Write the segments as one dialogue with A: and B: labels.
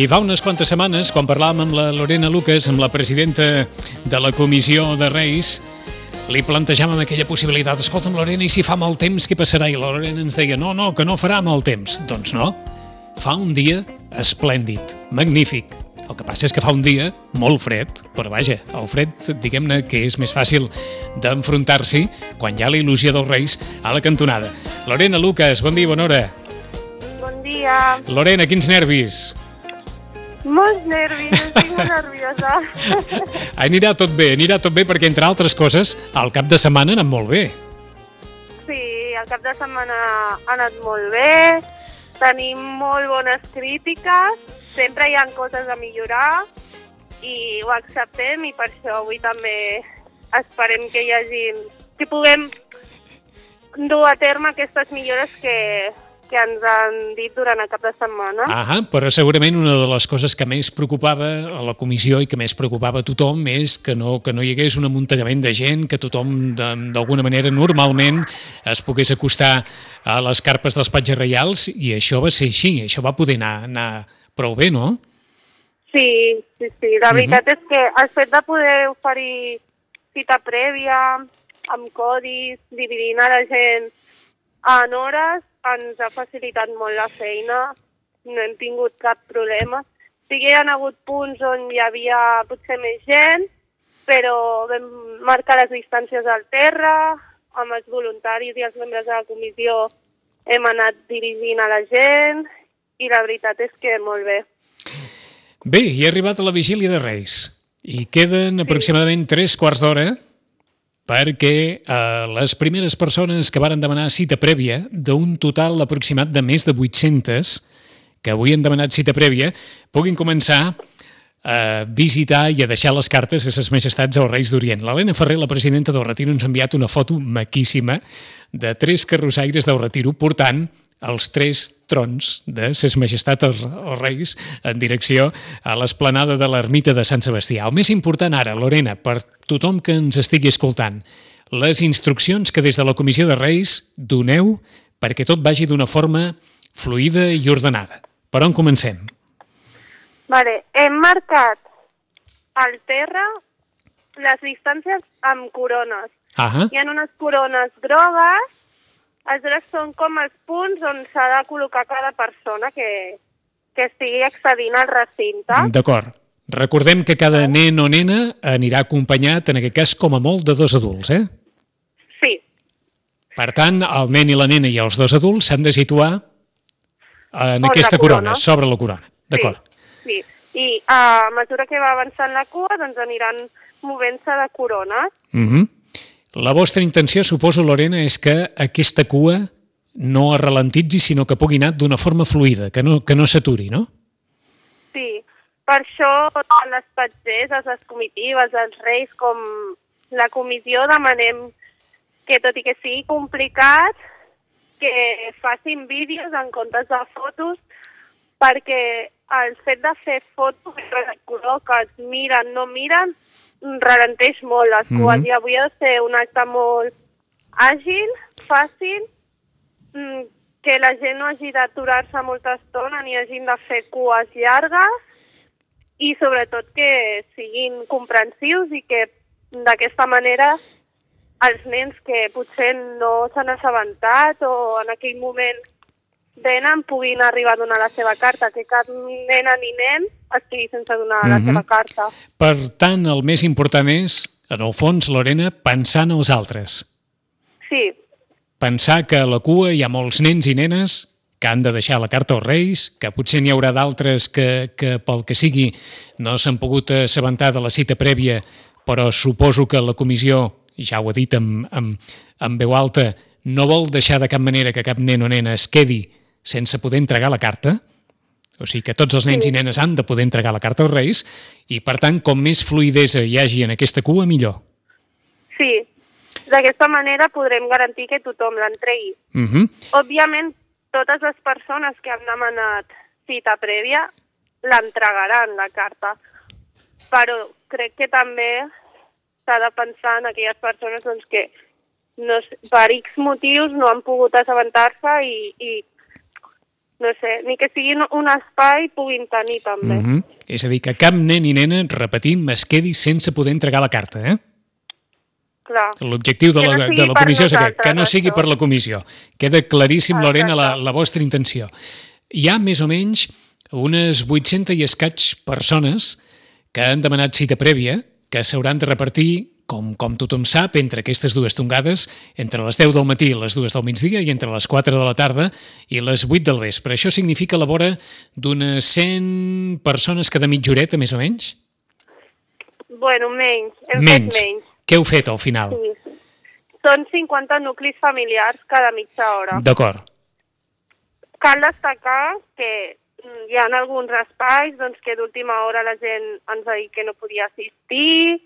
A: I fa unes quantes setmanes, quan parlàvem amb la Lorena Lucas, amb la presidenta de la Comissió de Reis, li plantejàvem aquella possibilitat. Escolta'm, Lorena, i si fa mal temps, què passarà? I la Lorena ens deia, no, que no farà mal temps. Doncs no, fa un dia esplèndid, magnífic. El que passa és que fa un dia molt fred, però vaja, el fred, diguem-ne que és més fàcil d'enfrontar-s'hi quan hi ha la il·lusió dels Reis a la cantonada. Lorena Lucas, bon dia, bona hora.
B: Bon dia.
A: Lorena, quins nervis?
B: Molts nervis, estic molt nerviosa.
A: Anirà tot bé, perquè entre altres coses, el cap de setmana ha anat molt bé.
B: Sí, el cap de setmana ha anat molt bé, tenim molt bones crítiques, sempre hi ha coses a millorar i ho acceptem i per això avui també esperem que puguem dur a terme aquestes millores que ens han dit durant el cap de setmana.
A: Però segurament una de les coses que més preocupava a la comissió i que més preocupava a tothom és que no hi hagués un amuntellament de gent, que tothom d'alguna manera normalment es pogués acostar a les carpes dels patges reials, i això va ser així, això va poder anar prou bé, no?
B: Sí. La veritat és que el fet de poder oferir cita prèvia, amb codis, dividint a la gent en hores, ens ha facilitat molt la feina, no hem tingut cap problema. Sí que hi ha hagut punts on hi havia potser més gent, però vam marcar les distàncies al terra, amb els voluntaris i els membres de la comissió hem anat dirigint a la gent i la veritat és que molt bé.
A: Bé, hi ha arribat a la vigília de Reis i queden aproximadament 3/4 d'hora perquè les primeres persones que varen demanar cita prèvia, d'un total aproximat de més de 800 que avui han demanat cita prèvia, puguin començar a visitar i a deixar les cartes a ses majestats als Reis d'Orient. L'Helena Ferrer, la presidenta del Retiro, ens ha enviat una foto maquíssima de 3 carrossaires del Retiro portant els 3 trons de ses majestats els Reis en direcció a l'esplanada de l'ermita de Sant Sebastià. El més important ara, Lorena, per tothom que ens estigui escoltant, les instruccions que des de la Comissió de Reis doneu perquè tot vagi d'una forma fluida i ordenada. Per on comencem?
B: Vale, hem marcat al terra les distàncies amb corones. Hi ha unes corones grogues, aleshores són com els punts on s'ha de col·locar cada persona que estigui accedint al recinte.
A: D'acord. Recordem que cada nen o nena anirà acompanyat, en aquest cas, com a molt, de 2 adults, eh?
B: Sí.
A: Per tant, el nen i la nena i els 2 adults s'han de situar en aquesta corona, sobre la corona. D'acord.
B: Sí. I a mesura que va avançant la cua, doncs aniran movent-se de corones.
A: La vostra intenció, suposo, Lorena, és que aquesta cua no es ralentitzi, sinó que pugui anar d'una forma fluida, que no s'aturi, no?
B: Sí, per això tant les patgeses, les comitives, els reis, com la comissió demanem que, tot i que sigui complicat, que facin vídeos en comptes de fotos, perquè el fet de fer fotos de color que es miren, no miren, ralenteix molt les cues i avui ha de ser un acte molt àgil, fàcil, que la gent no hagi d'aturar-se molta estona ni hagin de fer cues llargues i sobretot que siguin comprensius i que d'aquesta manera els nens que potser no s'han assabentat o en aquell moment venen puguin arribar a donar la seva carta, que cap nena ni nen estigui sense donar la seva carta.
A: Per tant, el més important és, en el fons, Lorena, pensar en els altres.
B: Sí.
A: Pensar que a la cua hi ha molts nens i nenes que han de deixar la carta als Reis, que potser n'hi haurà d'altres que pel que sigui no s'han pogut assabentar de la cita prèvia, però suposo que la comissió, ja ho ha dit en veu alta, no vol deixar de cap manera que cap nen o nena es quedi sense poder entregar la carta, o sigui que tots els nens i nenes han de poder entregar la carta als Reis, i per tant, com més fluïdesa hi hagi en aquesta cua, millor.
B: Sí, d'aquesta manera podrem garantir que tothom l'entregui. Òbviament, totes les persones que han demanat cita prèvia l'entregaran, la carta, però crec que també s'ha de pensar en aquelles persones doncs, que per X motius no han pogut assabentar-se i no sé, ni que sigui un espai puguin tenir també.
A: És a dir, que cap nen i nena, repetim, es quedi sense poder entregar la carta, eh?
B: Clar.
A: L'objectiu de la comissió és aquest, que no sigui per la comissió. Queda claríssim, Lorena, la vostra intenció. Hi ha més o menys unes 800 i escaig persones que han demanat cita prèvia, que s'hauran de repartir, com tothom sap, entre aquestes dues tongades, entre les 10 del matí i les 2 del migdia i entre les 4 de la tarda i les 8 del vespre. Això significa la vora d'unes 100 persones cada mitja horeta, més o menys?
B: Bueno, menys. Hem fet menys.
A: Què heu fet al final?
B: Sí. Són 50 nuclis familiars cada mitja hora.
A: D'acord.
B: Cal destacar que hi ha alguns espais que d'última hora la gent ens ha dit que no podia assistir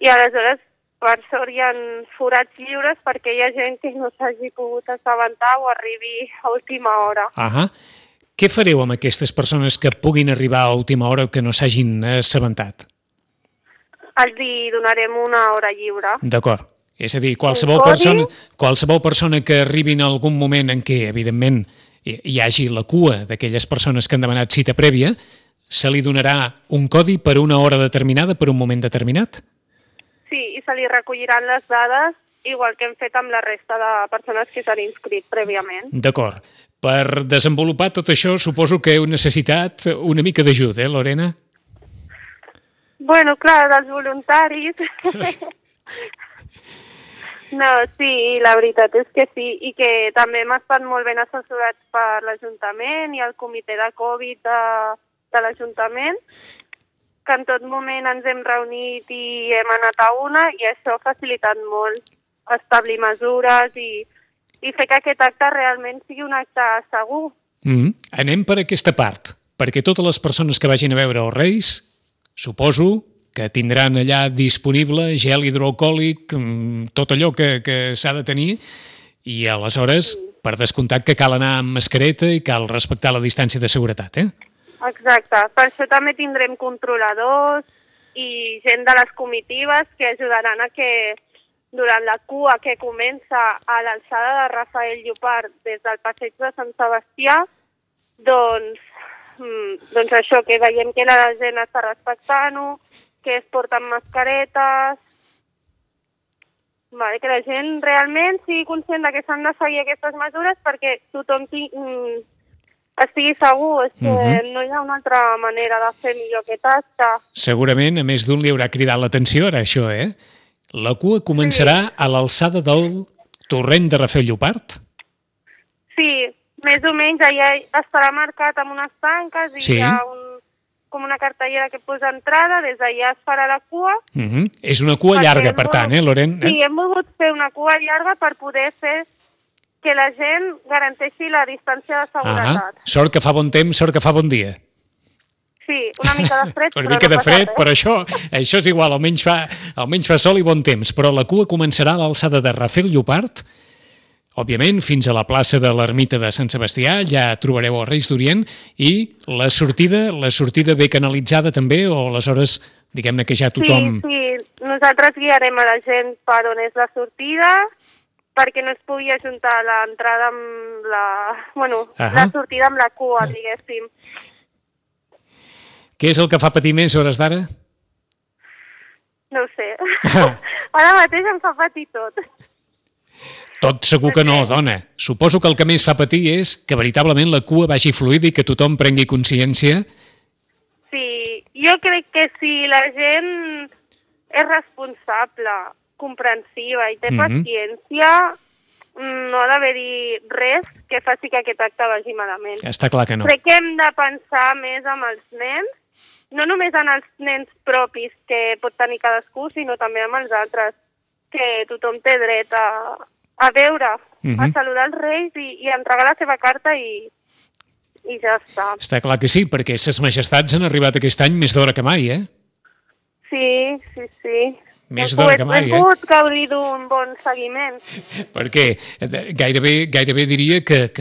B: i aleshores, per sort, hi ha forats lliures perquè hi ha gent que no s'hagi pogut assabentar o arribi a última hora.
A: Què fareu amb aquestes persones que puguin arribar a última hora o que no s'hagin assabentat?
B: Els donarem una hora lliure.
A: D'acord. És a dir, qualsevol persona que arribi en algun moment en què, evidentment, hi hagi la cua d'aquelles persones que han demanat cita prèvia, se li donarà un codi per una hora determinada, per un moment determinat?
B: Sí, i se li recolliran les dades, igual que hem fet amb la resta de persones que s'han inscrit prèviament.
A: D'acord. Per desenvolupar tot això, suposo que heu necessitat una mica d'ajuda, Lorena?
B: Bueno, clar, dels voluntaris. No, sí, la veritat és que sí, i que també hem estat molt ben assessorats per l'Ajuntament i el comitè de Covid de l'Ajuntament, que en tot moment ens hem reunit i hem anat a una, i això ha facilitat molt establir mesures i fer que aquest acte realment sigui un acte segur.
A: Anem per aquesta part, perquè totes les persones que vagin a veure els Reis, suposo que tindran allà disponible gel hidroalcohòlic, tot allò que s'ha de tenir, i aleshores, per descomptat, que cal anar amb mascareta i cal respectar la distància de seguretat, eh?
B: Exacte. Per això també tindrem controladors i gent de les comitives que ajudaran a que durant la cua que comença a l'alçada de Rafael Llopart des del passeig de Sant Sebastià, doncs això, que veiem que la gent està respectant-ho, que es porten mascaretes, que la gent realment sigui conscient que s'han de seguir aquestes mesures perquè tothom estigui segur. És que no hi ha una altra manera de fer millor aquest acte.
A: Segurament, a més d'un li haurà cridat l'atenció ara això, eh? La cua començarà a l'alçada del torrent de Rafael Llopart?
B: Sí, més o menys allà estarà marcat amb unes tanques i hi ha com una cartellera que posa entrada, des d'allà es farà la cua.
A: És una cua llarga, per tant, Loren?
B: Sí, hem volgut fer una cua llarga per poder fer que la gent garanteixi la distància de seguretat.
A: Sort que fa bon temps, sort que fa bon dia.
B: Sí, una mica de fred,
A: una mica de fred, però això és igual, almenys fa sol i bon temps. Però la cua començarà a l'alçada de Rafael Llopart, òbviament, fins a la plaça de l'Ermita de Sant Sebastià, ja trobareu els Reis d'Orient, i la sortida bé canalitzada també, o aleshores, diguem-ne que ja tothom...
B: Sí, nosaltres guiarem a la gent per on és la sortida, perquè no es pugui ajuntar l'entrada amb la sortida amb la cua, diguéssim.
A: Què és el que fa patir més a hores d'ara?
B: No ho sé. Ara mateix em fa patir tot.
A: Tot segur que no, dona. Suposo que el que més fa patir és que veritablement la cua vagi fluida i que tothom prengui consciència.
B: Sí, jo crec que si la gent és responsable, comprensiva i té paciència, no ha d'haver-hi res que faci que aquest acte vagi malament.
A: Està clar que no.
B: Crec que hem de pensar més en els nens, no només en els nens propis que pot tenir cadascú, sinó també en els altres, que tothom té dret a veure, a saludar els Reis i a entregar la seva carta i ja està.
A: Està clar que sí, perquè ses majestats han arribat aquest any més d'hora que mai, eh?
B: Sí.
A: Més d'hora que mai,
B: Hem pogut gaudir d'un bon seguiment.
A: Perquè gairebé diria que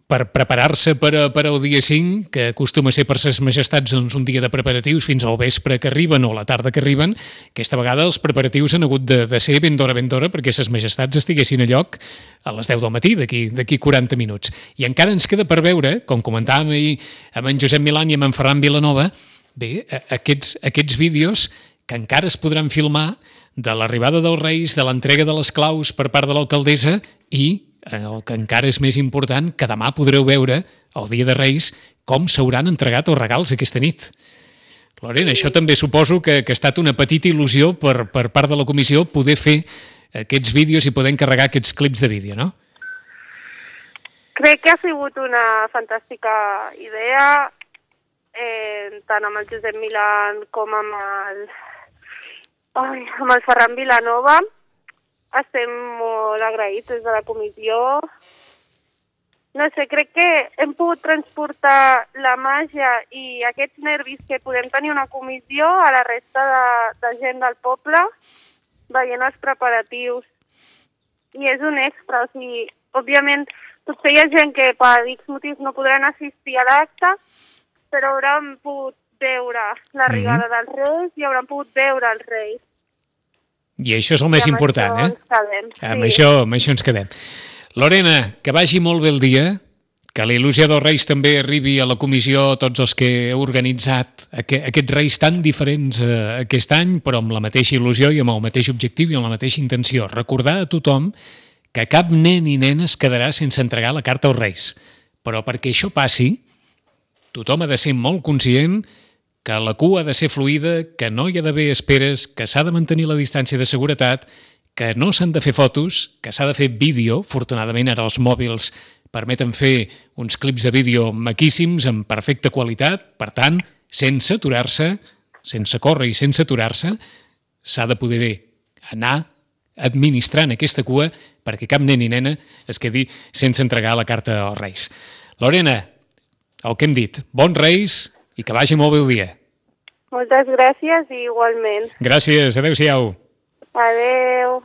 A: per preparar-se per al dia 5, que acostuma a ser per ses majestats doncs, un dia de preparatius fins al vespre que arriben o a la tarda que arriben, aquesta vegada els preparatius han hagut de ser ben d'hora perquè ses majestats estiguessin a lloc a les 10 del matí, d'aquí 40 minuts. I encara ens queda per veure, com comentàvem ahir amb en Josep Milán i amb en Ferran Vilanova, bé, aquests vídeos que encara es podran filmar de l'arribada dels Reis, de l'entrega de les claus per part de l'alcaldessa i, el que encara és més important, que demà podreu veure, el dia de Reis, com s'hauran entregat els regals aquesta nit. Lorena, això també suposo que ha estat una petita il·lusió per part de la comissió poder fer aquests vídeos i poder encarregar aquests clips de vídeo, no?
B: Crec que ha sigut una fantàstica idea, tant amb el Josep Milán com amb el Ferran Vilanova. Estem molt agraïts des de la comissió. No sé, crec que hem pogut transportar la màgia i aquests nervis que podem tenir una comissió a la resta de gent del poble, veient els preparatius. I és un extra, o sigui, òbviament, potser hi ha gent que per X motius no podran assistir a l'acte, però hauran pogut veure l'arribada dels Reis i hauran pogut veure els Reis.
A: I això és el més important,
B: eh?
A: Amb això ens quedem. Lorena, que vagi molt bé el dia, que la il·lusió dels Reis també arribi a la comissió, tots els que heu organitzat aquests Reis tan diferents aquest any, però amb la mateixa il·lusió i amb el mateix objectiu i amb la mateixa intenció. Recordar a tothom que cap nen i nena es quedarà sense entregar la carta als Reis. Però perquè això passi, tothom ha de ser molt conscient que la cua ha de ser fluida, que no hi ha d'haver esperes, que s'ha de mantenir la distància de seguretat, que no s'han de fer fotos, que s'ha de fer vídeo. Afortunadament ara els mòbils permeten fer uns clips de vídeo maquíssims, amb perfecta qualitat. Per tant, sense aturar-se, sense córrer i sense aturar-se, s'ha de poder anar administrant aquesta cua perquè cap nen i nena es quedi sense entregar la carta als Reis. Lorena, el que hem dit, bons Reis i que vagi molt bé el dia.
B: Moltes gràcies i igualment.
A: Gràcies, adeu-siau.
B: Adeu.